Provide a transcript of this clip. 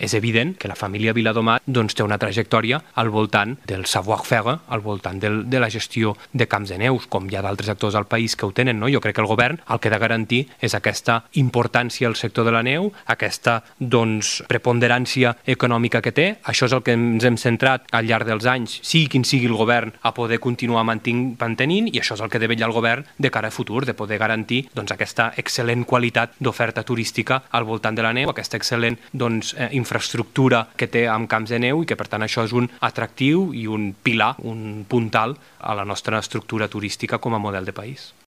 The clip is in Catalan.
és evident que la família Viladomat doncs, té una trajectòria al voltant del savoir-faire, al voltant de la gestió de camps de neus, com hi ha d'altres actors al país que ho tenen, no? Jo crec que el govern el que ha de garantir és aquesta importància al sector de la neu, aquesta doncs, preponderància econòmica que té. Això és el que ens hem centrat al llarg dels anys, sigui quin sigui el govern, a poder continuar mantenint, i això és el que ha de vetllar el govern de cara a futur, de poder garantir doncs, aquesta excel·lent qualitat d'oferta turística al voltant de la neu, aquesta excel·lent doncs, infraestructura que té amb camps de neu i que per tant això és un atractiu i un pilar, un puntal a la nostra estructura turística com a model de país.